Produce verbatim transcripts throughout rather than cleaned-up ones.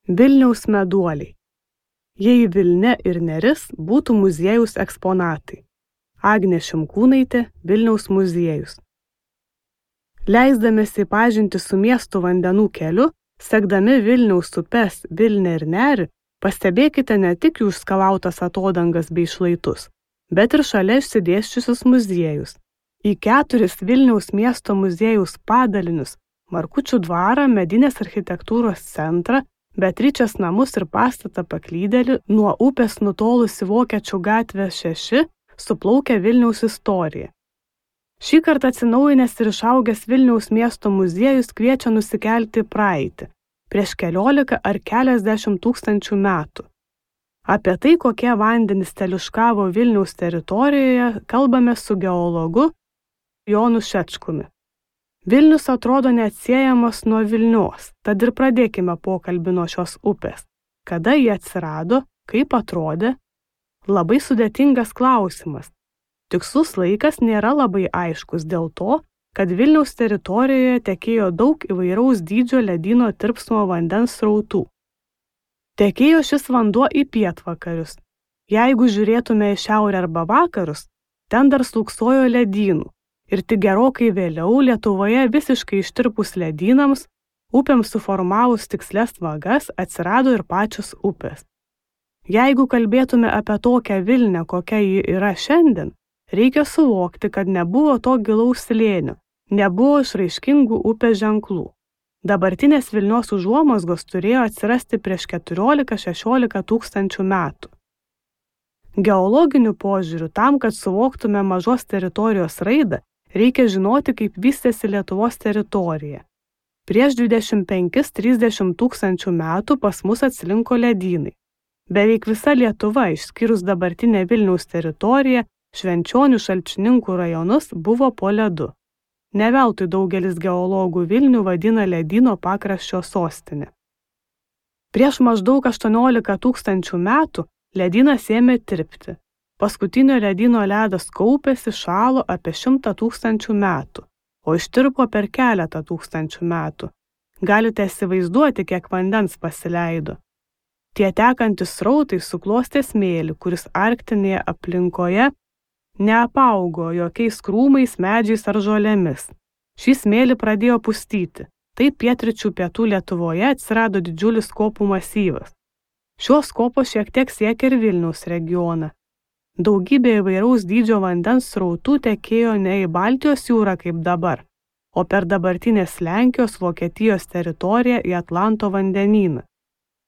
Vilniaus meduoliai. Jei Vilnia ir Neris būtų muziejaus eksponatai. Agnė Šimkūnaitė, Vilniaus muziejus. Leisdamėsi pažinti su miesto vandenų keliu, sekdami Vilniaus upes Vilnią ir Nerį, pastebėkite ne tik jų skalautas atodangas bei šlaitus, bet ir šalia išsidėsčiusius muziejus. Į keturis Vilniaus miesto muziejaus padalinius – Markučių dvarą, medinės architektūros centrą, Beatričės namus ir pastatą Paklydėlį, nuo upės nutolusi Vokiečių gatvė šeši, suplaukia Vilniaus istorija. Šį kartą atsinaujinęs ir išaugęs Vilniaus miesto muziejus kviečia nusikelti į praeitį, prieš keliolika ar keliasdešimt tūkstančių metų. Apie tai, kokie vandenys teliuškavo Vilniaus teritorijoje, kalbame su geologu Jonu Šečkumi. Vilnius atrodo neatsiejamas nuo Vilnios, tad ir pradėkime pokalbį nuo šios upės. Kada jie atsirado, kaip atrodė? Labai sudėtingas klausimas. Tikslus laikas nėra labai aiškus dėl to, kad Vilniaus teritorijoje tekėjo daug įvairaus dydžio ledyno tirpsmo vandens srautų. Tekėjo šis vanduo į pietvakarius. Jeigu žiūrėtume į šiaurę arba vakarus, ten dar slūksojo ledynų. Ir tik gerokai vėliau Lietuvoje visiškai ištirpus ledynams, upėms suformavus tikslias vagas, atsirado ir pačios upės. Jeigu kalbėtume apie tokią Vilnią, kokia ji yra šiandien, reikia suvokti, kad nebuvo to gilaus slėnio, nebuvo išraiškingų upės ženklų. Dabartinės Vilnios užuomazgos turėjo atsirasti prieš keturiolika šešiolika tūkstančių metų. Geologiniu požiūriu, tam, kad suvoktume mažos teritorijos raidą, reikia žinoti, kaip vystėsi Lietuvos teritorija. Prieš dvidešimt penkis trisdešimt tūkstančių metų pas mus atslinko ledynai. Beveik visa Lietuva, išskyrus dabartinę Vilniaus teritoriją, Švenčionių Šalčininkų rajonus, buvo po ledu. Ne veltui daugelis geologų Vilnių vadina ledyno pakraščio sostinė. Prieš maždaug aštuoniolika tūkstančių metų ledynas ėmė tirpti. Paskutinio ledyno ledas kaupėsi, šalo apie šimtą tūkstančių metų, o ištirpo per keletą tūkstančių metų. Galite įsivaizduoti, kiek vandens pasileido. Tie tekantys srautai suklostė smėlį, kuris arktinėje aplinkoje neapaugo jokiais krūmais, medžiais ar žolėmis. Šį smėlį pradėjo pustyti. Taip pietryčių pietų Lietuvoje atsirado didžiulis kopų masyvas. Šios kopos šiek tiek siekia ir Vilniaus regioną. Daugybė įvairaus dydžio vandens srautų tekėjo ne į Baltijos jūrą kaip dabar, o per dabartinės Lenkijos, Vokietijos teritoriją į Atlanto vandenyną.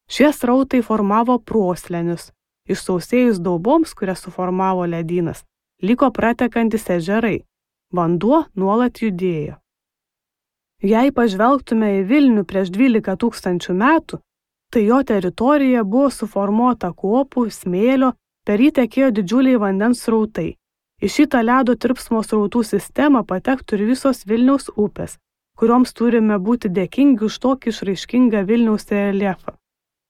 Šie srautai formavo proslenius. Išsausėjus dauboms, kurias suformavo ledynas, liko pratekantis ežerai. Vanduo nuolat judėjo. Jei pažvelgtume į Vilnių prieš dvylika tūkstančių metų, tai jo teritorija buvo suformuota kopų, smėlio, per jį tekėjo didžiuliai vandens srautai. Į šitą ledo tirpsmo srautų sistemą patektų ir visos Vilniaus upės, kurioms turime būti dėkingi už tokį išraiškingą Vilniaus reljefą.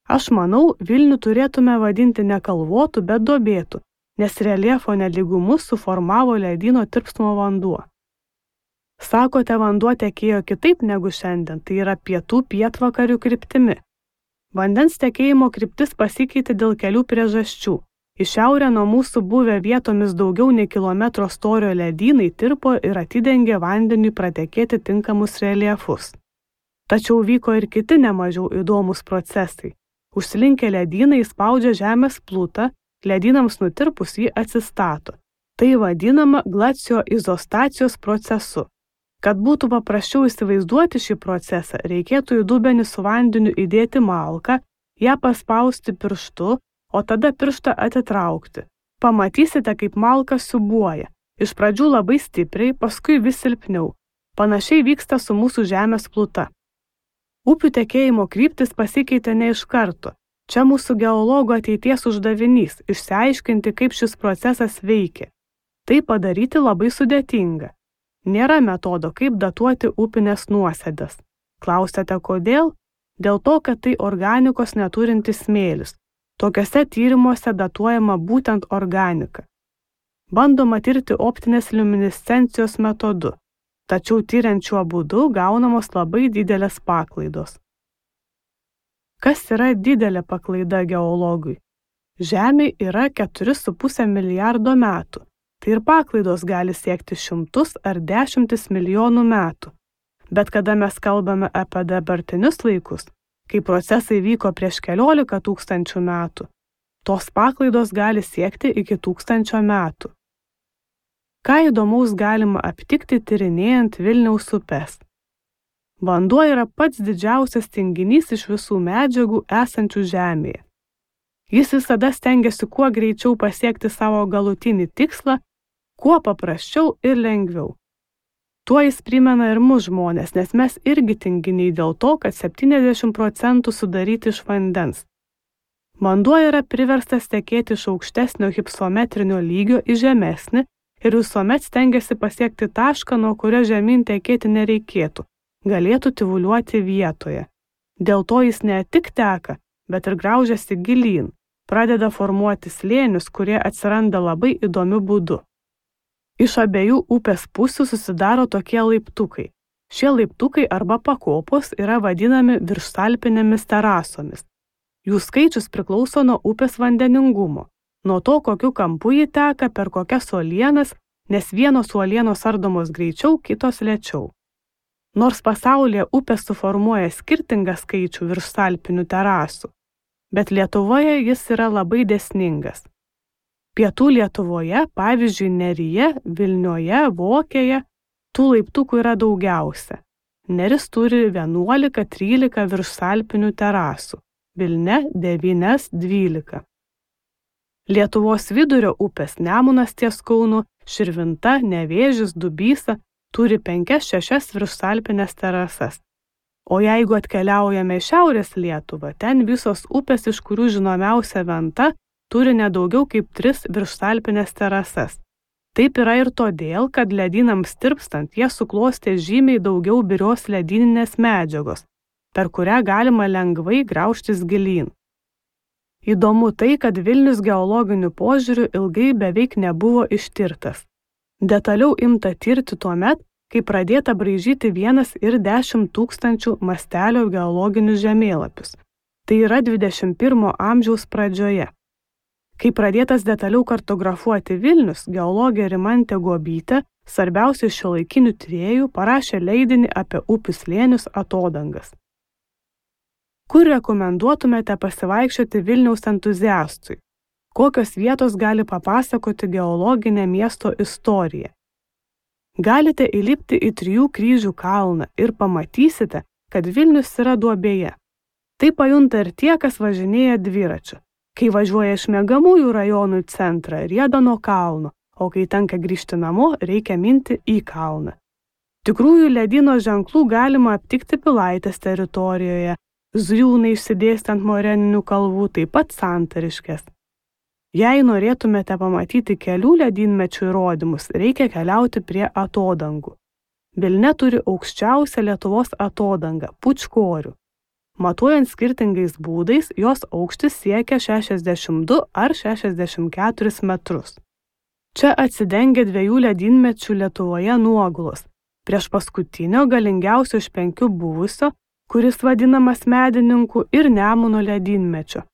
Aš manau, Vilnių turėtume vadinti ne kalvotų, bet duobėtų, nes reljefo nelygumus suformavo ledyno tirpsmo vanduo. Sakote, vanduo tekėjo kitaip negu šiandien, tai yra pietų pietvakarių kryptimi. Vandens tekėjimo kryptis pasikeitė dėl kelių priežasčių. Į šiaurę nuo mūsų buvę vietomis daugiau nei kilometro storio ledynai tirpo ir atidengė vandeniui pratekėti tinkamus reljefus. Tačiau vyko ir kiti nemažiau įdomus procesai. Užslinkę ledynai spaudžia žemės plutą, ledynams nutirpus jį atsistato. Tai vadinama glacioizostacijos procesu. Kad būtų paprasčiau įsivaizduoti šį procesą, reikėtų į dubenį su vandeniu įdėti malką, ją paspausti pirštu, o tada pirštą atitraukti. Pamatysite, kaip malka siūbuoja. Iš pradžių labai stipriai, paskui vis silpniau. Panašiai vyksta su mūsų žemės pluta. Upių tekėjimo kryptis pasikeitė ne iš karto. Čia mūsų geologų ateities uždavinys – išsiaiškinti, kaip šis procesas veikia. Tai padaryti labai sudėtinga. Nėra metodo, kaip datuoti upinės nuosėdas. Klausėte, kodėl? Dėl to, kad tai organikos neturintis smėlis. Tokiuose tyrimuose datuojama būtent organika. Bandoma tirti optinės liuminescencijos metodu, tačiau tyriant šiuo būdu gaunamos labai didelės paklaidos. Kas yra didelė paklaida geologui? Žemė yra keturi su puse milijardo metų. Tai ir paklaidos gali siekti šimtus ar dešimtis milijonų metų. Bet kada mes kalbame apie dabartinius laikus, kai procesai vyko prieš keliolika tūkstančių metų, tos paklaidos gali siekti iki tūkstančio metų. Ką įdomaus galima aptikti tyrinėjant Vilniaus upes? Vanduo yra pats didžiausias tinginys iš visų medžiagų esančių žemėje. Jis visada stengiasi kuo greičiau pasiekti savo galutinį tikslą, kuo paprasčiau ir lengviau. Tuo jis primena ir mus žmonės, nes mes irgi tinginiai dėl to, kad septyniasdešimt procentų sudaryti iš vandens. Vanduo yra priverstas tekėti iš aukštesnio hipsometrinio lygio į žemesnį ir visuomet stengiasi pasiekti tašką, nuo kurio žemyn tekėti nereikėtų, galėtų tyvuliuoti vietoje. Dėl to jis ne tik teka, bet ir graužiasi gilyn, pradeda formuoti slėnius, kurie atsiranda labai įdomiu būdu. Iš abiejų upės pusių susidaro tokie laiptukai. Šie laiptukai arba pakopos yra vadinami viršsalpinėmis terasomis. Jų skaičius priklauso nuo upės vandeningumo, nuo to, kokiu kampu ji teka, per kokias uolienas, nes vienos uolienos ardomos greičiau, kitos lėčiau. Nors pasaulyje upės suformuoja skirtingą skaičių viršsalpinių terasų, bet Lietuvoje jis yra labai dėsningas. Pietų Lietuvoje, pavyzdžiui, Neryje, Vilnioje, Vokėje, tų laiptukų yra daugiausia. Neris turi vienuolika trylika viršsalpinių terasų, Vilne devyni dvylika. Lietuvos vidurio upės Nemunas ties Kaunu, Širvinta, Nevėžis, Dubysa turi penkias šešias viršsalpines terasas. O jeigu atkeliaujame į Šiaurės Lietuvą, ten visos upės, iš kurių žinomiausia Venta, turi nedaugiau kaip tris viršsalpines terasas. Taip yra ir todėl, kad ledynams tirpstant jie suklostė žymiai daugiau birios ledyninės medžiagos, per kurią galima lengvai graužtis gilyn. Įdomu tai, kad Vilnius geologiniu požiūriu ilgai beveik nebuvo ištirtas. Detaliau imta tirti tuomet, kai pradėta braižyti vienas ir dešimt tūkstančių mastelio geologinius žemėlapius. Tai yra dvidešimt pirmo amžiaus pradžioje. Kai pradėtas detaliau kartografuoti Vilnius, geologė Rimantė Guobytė, svarbiausių šiuolaikinių tyrėjų, parašė leidinį apie upių slėnius atodangas. Kur rekomenduotumėte pasivaikščioti Vilniaus entuziastui? Kokios vietos gali papasakoti geologinę miesto istoriją? Galite įlipti į Trijų kryžių kalną ir pamatysite, kad Vilnius yra duobėje. Tai pajunta ir tie, kas važinėja dviračiu. Kai važiuoja iš miegamųjų rajonų į centrą, rieda nuo kalno, o kai tenka grįžti namo, reikia minti į kalną. Tikrųjų ledyno ženklų galima aptikti Pilaitės teritorijoje, Zujūnai išsidėstant moreninių kalvų, taip pat Santariškės. Jei norėtumėte pamatyti kelių ledynmečių įrodymus, reikia keliauti prie atodangų. Vilnia turi aukščiausią Lietuvos atodangą – Pučkorių. Matuojant skirtingais būdais, jos aukštis siekia šešiasdešimt du ar šešiasdešimt keturis metrus. Čia atsidengia dviejų ledynmečių Lietuvoje nuogulos. Prieš paskutinio galingiausio iš penkių buvusio, kuris vadinamas Medininkų ir Nemuno ledynmečio.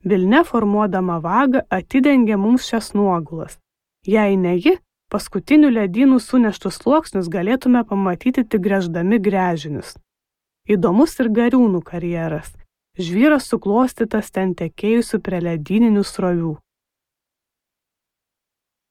Vilnia formuodama vagą atidengia mums šias nuogulas. Jei ne ji, paskutinių ledynų suneštus sluoksnius galėtume pamatyti tik gręždami gręžinius. Įdomus ir Gariūnų karjeras. Žvyras suklostytas ten tekėjusių prie ledyninių srovių.